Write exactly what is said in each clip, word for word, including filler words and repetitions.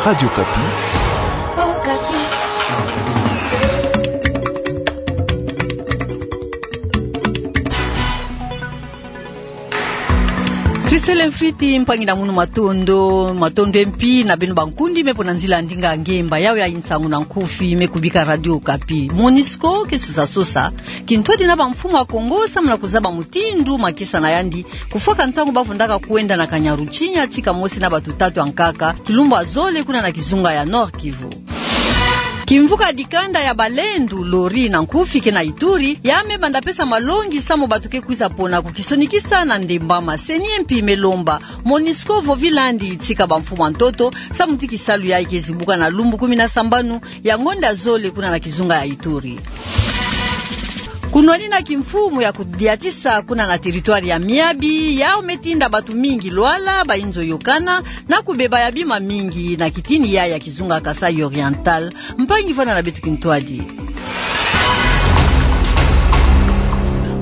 Radio Okapi. Sisele mfiti, mpangi na munu, matondo, matondo mpi na beno bankundi me pona nzila ndinga ngemba yawe ya nsangu na nkufi me kubika Radio Okapi. Monusco ke sosa sosa kintwadi na bamfumu ya Kongo samu na kuzaba mutindu makesa na yandi kufwaka ntangu ba vundaka kwenda na Kanyaruchinya tika mosi na bato tatu ya nkaka, kilumbu ya zole kuna na kizunga ya Nord-Kivu. Kimvuka dikanda ya balendu, lori na nkufi, ke na Ituri, ya me banda pesa malongi samu bato ke kwiza pona kukisonikisa na ndembama. CENI mpi me lomba Monusco vovi landi tika bamfumu ya ntoto samu ti kisalu yayi ke zibuka na lumbu kumi na sambanu ya ngonda ya zole kuna na kizunga ya Ituri. Kunwanina kimfumu ya kudiatisa kuna na territoire ya Miabi, yau me tinda bato mingi lwala, bayinzo yokana, na kubeba ya bima mingi na kitini yayi ya kizunga Kasaï Oriental. Mpangi, vanda na beto kintwadi.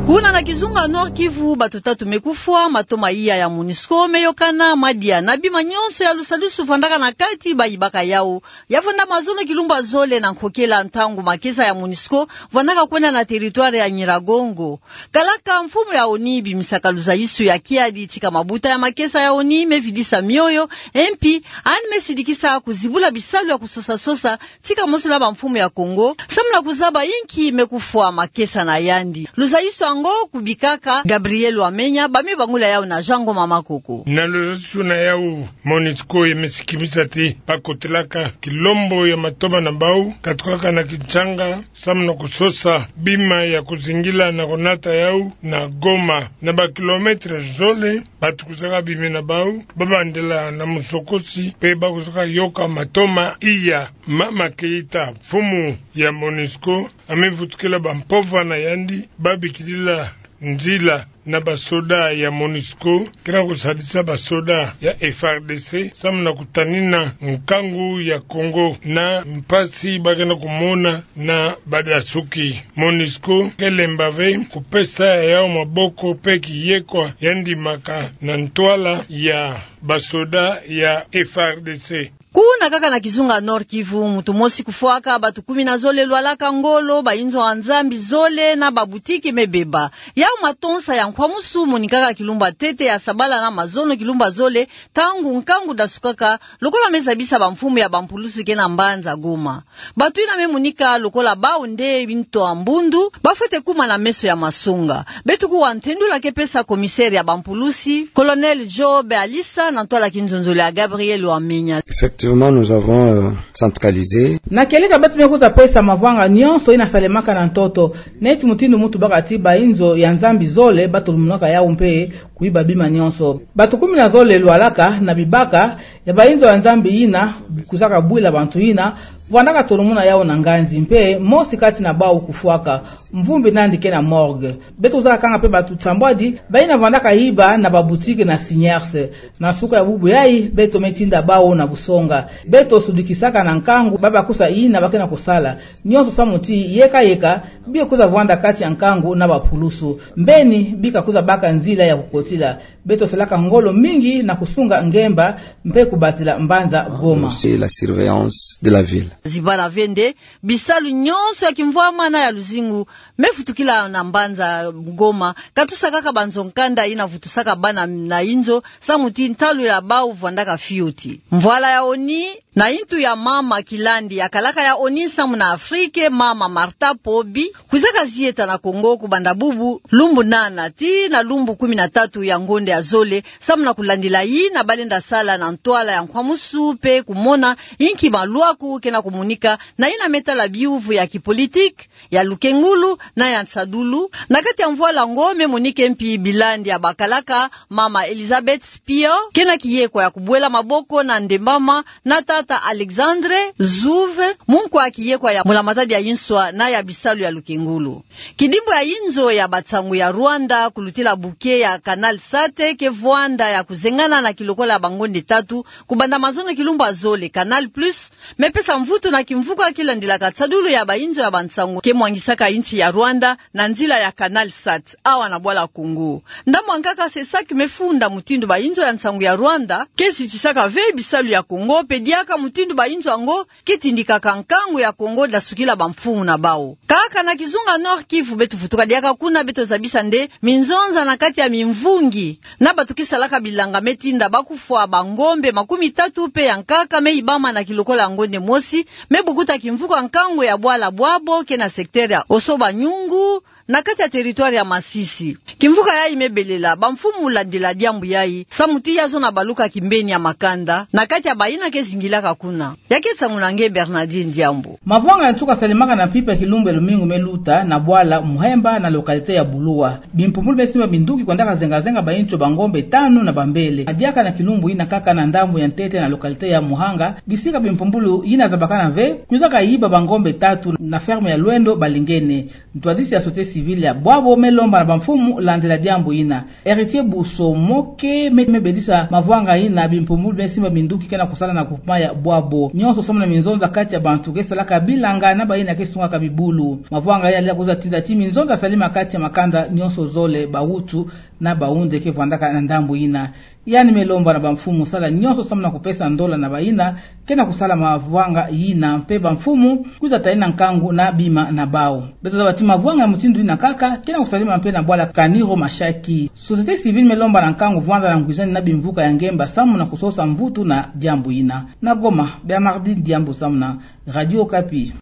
Kuna na kizunga Nord-Kivu, bato tatu me kufwa, matoma iya ya Monusco me yokana, madia na bima nyonso ya lusalusu vandaka na kati, bayibaka yau. Ya vanda mazono kilumbu ya zole na nkokela, ntangu makesa ya Monusco vandaka kwenda na territoire ya Nyiragongo. Kalaka mfumu ya ONU bimisaka luzaisu ya kiadi tika mabuta ya makesa ya ONU me vidisa mioyo, mpi yandi me sidikisa kuzibula bisalu ya kusosa sosa tika mosi na bamfumu ya Kongo samu na kuzaba inki me kufwa makesa na yandi. Luzaisu yango kubikaka Gabriel Wamenya, ba me bangula yau na Jean Ngoma Makoko. Na luzaisu na yau, Monusco ya me sikimisa ti ba kotelaka kilombo ya matoma na bau, katukaka na Kinshasa, samu na kusosa bima ya kuzingila na konata yau na Goma. Na ba kilomètre zole, bato kwizaka bima na bau, ba bandela na musokosi, mpe ba kwizaka yoka matoma iya. Mama Keita, mfumu ya Monusco, ya me vutukila bampova na yandi ba bikidila nzila na basoda ya Monusco, ke na kusadisa basoda ya F R D C, samu na kutanina nkangu ya Kongo na mpasi ba ke na kumona na badasuki. Monusco ke lemba ve kupesa yau maboko mpe kiyekwa yandi maka na ntwala ya basoda ya F R D C. Kuna kaka na kizunga Nord-Kivu, mutu mosi kufwaka, bato kumi na zole lwalaka ngolo, bayinzo ya Nzambi zole na babutiki me beba. Yau matonsa ya nkwamusu monikaka kilumbu ya ntete ya sabala na mazono kilumbu ya zole, ntangu nkangu dasukaka, lokola me zabisa bamfumu ya bampulusu ke na mbanza Goma. Bato yina me monika lokola bau nde binto ya mbundu, ba fwete kuma na meso ya masonga. Beto kuwa ntendula ke pesa commissaire ya bampulusi, Colonel Job Alisa, na ntwala kinzonzolo ya Gabriel Wamenya. Effectivement, nous avons, euh, centralisé. Na kieleka beto me kwiza pesa mavanga nyonso yina salemaka na ntoto, neti mutindu mutu baka ti bayinzo ya Nzambi zole ba tolomunaka yau mpe kuyiba bima nyonso. Bato kumi na zole lwalaka na bibaka ya bayinzo ya Nzambi yina kwizaka bwila bantu yina vandaka tolomuna yau na nganzi, mpe mosi kati na bau kufwaka, mvumbi nandi ke na morgue. Beto kwizaka kanga mpe bato nsambwadi bayina vandaka yiba na babutiki na Singers. Na suka ya bubu yayi, beto me tinda bau na busonga. Beto sudikisaka na nkangu babakisa yina ba ke na kusala. Nyonso samu ti yeka yeka bika kwiza vwanda kati ya nkangu na bapulusu. Mbeni bika kwiza baka nzila ya kukotila. Beto salaka ngolo mingi na kusunga ngemba mpe kubatila mbanza Goma. C'est la surveillance de la ville. Zibala ve nde bisalu nyonso ya kimvwama na ya luzingu me vutukila na mbanza Goma, katusa kaka banzo nkanda yina vutusaka bana na yinzo, samu ti ntalu ya bau vwandaka fioti. Mvwala ya ONU na yintu ya mama Kilandi, ya kalaka ya ONU samu na Afrique, mama Martha Pobi, kwizaka zieta na Kongo kubanda bubu lumbu nana tii na lumbu kumi na tatu ya ngonda ya zole, samu na kulandila yina ba lenda sala na ntwala ya nkwamusu mpe kumona inki malwaku ke na kumonika na yina me tala biyuvu ya kipolitiki, ya lukengulu na ya nsadulu. Na kati ya mvwala yango me monika mpi bilandi ya bakalaka mama Elizabeth Spio, ke na kiyekwa ya kubwela maboko na ndembama, na tata Alexandre Zouve, munkwa kiyekwa ya mbula matadi ya inswa na ya bisalu ya lukengulu. Kidimbu ya yinzo ya bansangu ya Rwanda, kulutila bouquet ya Canal sat, ke vwanda ya kuzengana na kilokola ya bangonda tatu, kubanda mazono kilumbu ya zole. Canal Plus me pesa mvu Kutu na kimvuka ki landilaka tsadulu ya bainzo ya bansangu ke mwangisaka insi ya Rwanda na nzila ya Canal Sat, awa na bwala Congo. Ndambu ya nkaka CESAC me funda mutindu bainzo ya nsangu ya Rwanda ke zitisaka ve bisalu ya Congo, mpe diaka mutindu bainzo yango ke tindikaka nkangu ya Congo dasukila bamfumu na bawu. Kaka na kizunga Nord-Kivu beto vutuka diaka kuna, beto zabisa nde minzonza na kati ya mimvungi na bato ke salaka bilanga me tinda bakufwa bangombe makumi tatu mpe ya nkaka me yibama na kilokola ya ngonde mosi, me bukuta kimvuka nkangu ya bwala Bwabo ke na secteur ya Oso-Banyungu, na kati ya territoire ya Masisi. Kimvuka yayi me belela bamfumu landila diambu yayi, samu ti ya zona baluka kimbeni ya makanda na kati ya bayina ke zingilaka kuna. Ya ke nsangu na nge Bernardine Diambu. Mavwanga ya nsuka salemaka na mpimpa ya kilumbu ya lumingu me luta na bwala Muhemba na localité ya Bulua. Bimpumbulu me simba minduki kwendaka zenga-zenga bainzo bangombe tanu na bambele. Na diaka na kilumbu yina kaka na ndambu ya ntete na localité ya Muhanga, bisika bimpumbulu yina zabakana ve, kwizaka yiba bangombe tatu na ferme ya Lwendo Balingene. Ntwadisi ya société civile ya Bwabo me lomba na bamfumu landila diambu yina. Héritier Busomoke me, me bedisa mavwanga yina, bimpumbulu me simba minduki ke na kusala na groupement ya Bwabo. Nyonso samu na minzonza kati ya bantu ke salaka bilanga na bayina ke sungaka bibulu. Mavwanga yina yaleka kwiza tinda ti minzonza salama kati ya makanda nyonso zole, bawutu na bawunde ke vwandaka na ndambu yina. Yandi me lomba na bamfumu sala nyonso samu na kupesa ndola na bayina ke na kusala mavwanga yina, mpe bamfumu kwiza talenda nkangu na bima na bawu. Beto zaba ti mavwanga ya mutindu yina kaka ke na kusalema mpe na bwala Kaniro Mashaki. Société civile me lomba na nkangu vwanda na ngwizani na bimvuka ya ngemba samu na kusosa mvutu na diambu yina. Na Goma, Bernardine Diambu samu na Radio Okapi.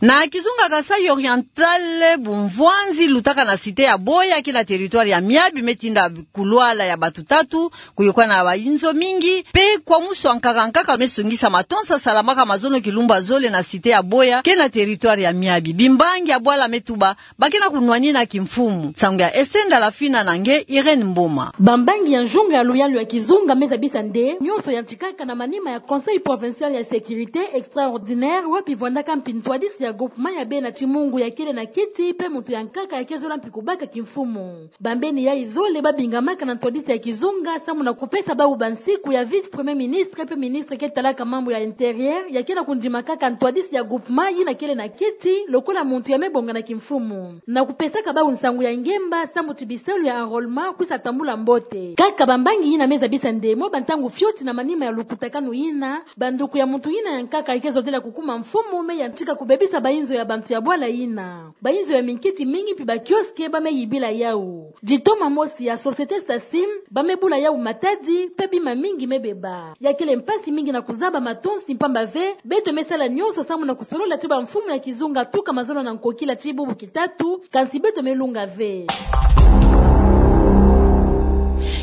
Na kizunga Kasaï Oriental, bumvwanzi lutaka na cité ya Boya ke na territoire ya Miabi me tinda kulwala ya bato tatu, kuyokana na bainzo mingi, mpe kwa musu ya nkaka-nkaka me songisa matonsa salamaka mazono kilumbu ya zole na cité ya Boya ke na territoire ya Miabi. Bimbangi ya bwala me tuba ba ke na kunwanina kimfumu. Nsangu ya Esther Ndalafina na nge Irène Mboma. Bambangi ya nzunga ya luyalu ya kizunga me zabisa nde nyonso yantikaka na manima ya Conseil provincial ya sécurité extraordinaire, wapi vwandaka mpi ntwadisi ya groupement ya Bena Timungu ya kele na kiti, mpe muntu ya nkaka ya ke zola mpi kubaka kimfumu. Bambeni yayi zole ba bingamaka na ntwadisi ya kizunga samu na kupesa bawu bansiku ya vice-premier ministre mpe ministre ke talaka mambu ya intérieur, ya ke na kundimakaka ntwadisi ya groupement yina kele na kiti lokola muntu ya me bonga na kimfumu, na kupesaka bawu nsangu ya ngemba samu ti bisalu ya enrôlement kwisa tambula mbote. Kaka bambangi yina me zabisa nde mwa bantangu fioti na manima ya lukutakanu yina, banduku ya muntu yina ya nkaka ya ke zozela kukuma mfumu me yantika kubebisa bainzo ya bantu ya bwala yina. Bainzo ya minkiti mingi mpi ba kiosque ba me yibila yawu. Ditoma mosi ya société Sasim ba me bula yawu matadi, mpe bima mingi me beba. Ya kele mpasi mingi na kuzaba matonsi mpamba ve beto me sala nyonso samu na kusolola ti bamfumu ya kizunga tuka mazono na nkokila ti bubu kitatu, kansi beto me lunga ve.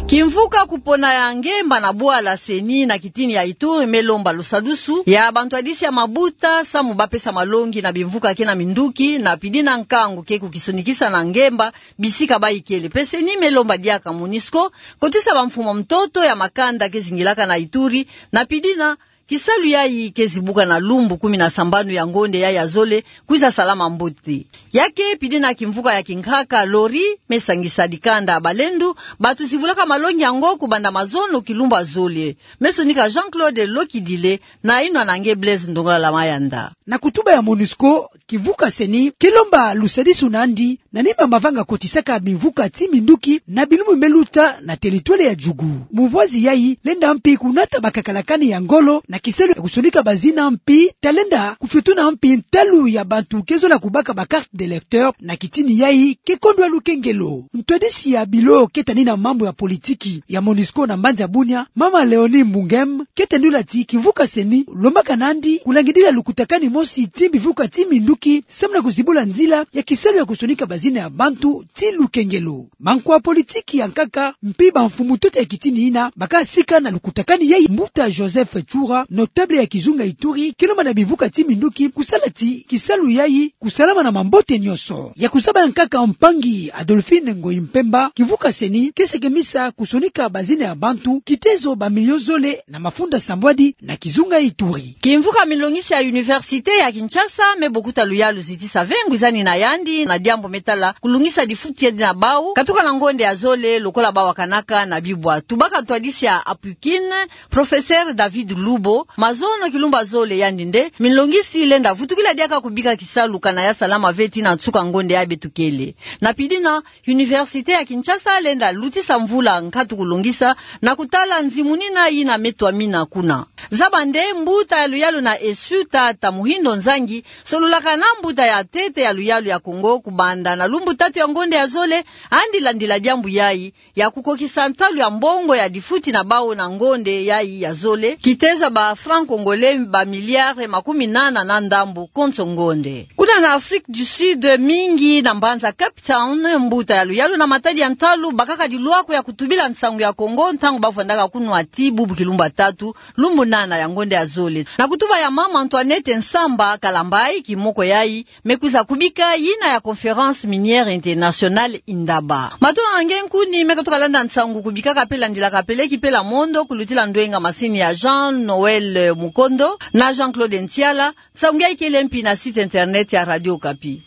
Kimvuka kupona ya ngemba na bwala CENI na kitini ya Ituri me lomba lusadusu ya bantwadisi ya mabuta samu ba pesa malongi na bimvuka ke na minduki, na pidi na nkangu ke kukisonikisa na ngemba bisika bayi kele. Mpe CENI me lomba diaka MONUSCO kotisa bamfumu ya ntoto ya makanda ke zingilaka na Ituri, na pidi na kisalu yayi ke zibuka na lumbu kumi na sambanu ya ngonde yayi ya zole, kwiza salama mbote. Ya ke pidi na kimvuka ya kinkaka Lori me sangisa dikanda Balendu, bato zibulaka malongi yango kubanda mazono kilumbu ya zole. Me sonika Jean-Claude Lokidile na inwa na nge Blaise Ndongala Mayanda. Na kutuba ya MONUSCO, kimvuka CENI ke lomba lusadisu nandi na nima mavanga kotisaka bimvuka ti minduki na bilumbu me luta na territoire ya Djugu. Muvwazi yayi lenda mpi kunata bakakalakani ya ngolo na kisalu ya kusonika bazina, mpi talenda kufiotuna mpi ntalu ya bantu ke zola kubaka ba carte d'électeur na kitini yayi ke kondwa lukengelo. Ntwadisi ya bilo ke tanina mambu ya politiki ya MONUSCO na mbanza ya Bunia, mama Léonie Mbungem, ke tendula ti kimvuka CENI lombaka nandi kulangidila lukutakani mosi ti bimvuka ti minduki samu na kuzibula nzila ya kisalu ya kusonika bazina ya bantu ti lukengelo. Bankwa politiki ya nkaka mpi bamfumu ntoto ya kitini yina baka sika na lukutakani yayi. Mbuta Joseph Tshoura, notable ya kizunga Ituri, ke lomba na bimvuka ti minduki kusala ti kisalu yayi kusalama na mambote nyonso. Ya kuzaba ya nkaka mpangi Adolphine Ngoyi Mpemba, kimvuka CENI ke sekemisa kusonika bazina ya bantu kitezo ba million zole na mafunda sambwadi na kizunga Ituri. Kimvuka milongisi ya Université ya Kinshasa me bokuta luyalu zitisa ve ngwizani na yandi na diambu me sala kulungisa difuti na bau katuka na ngonde ya zole lokola bawakanaka na bibwa. Tubaka ntwadisi ya Apukin, professeur David Lubo, mazono kilumbu ya zole yandi nde minlongisi lenda vutukila diaka kubika kisalu kana ya salama ve tii na nsuka ngonde ya beto kele. Na pidina, Université ya Kinshasa lenda lutisa mvula nkatu kulongisa na kutala nzimunina yina me twamina kuna. Zaba nde mbuta ya luyalu na Esu, tata Muhindo Nzangi, sololaka na mbuta ya ntete ya luyalu ya Kongo kubanda na lumbu tatu ya ngonde ya zole, andi landila diambu yayi ya kukokisa ntalu ya mbongo ya difuti na bau na ngonde yayi ya zole, kiteja ba francs congolais ba milliards makumi nana na ndambu konso ngonde. Kuna na Afrique du Sud, mingi na mbanza Cape Town, mbuta ya luyalu na matadi ya ntalu bakaka dilwako ya kutubila nsangu ya Kongo ntangu bavwandaka kunwa tii bubu kilumbu ya tatu, lumbu nana ya ngonde ya zole. Na kutuba ya mama Antoinette Nsamba Kalambayi, kimoko yayi me kwiza kubika yina ya Conférence Minière Internationale Indaba. Matondo na nge nkuni me katuka landa nsangu kubikaka pe landilaka peleki pela mondo kulutila ndwenga masini ya Jean Noël Mukondo na Jean-Claude Ntiala. Nsangu yayi kele mpi na site internet ya Radio Okapi.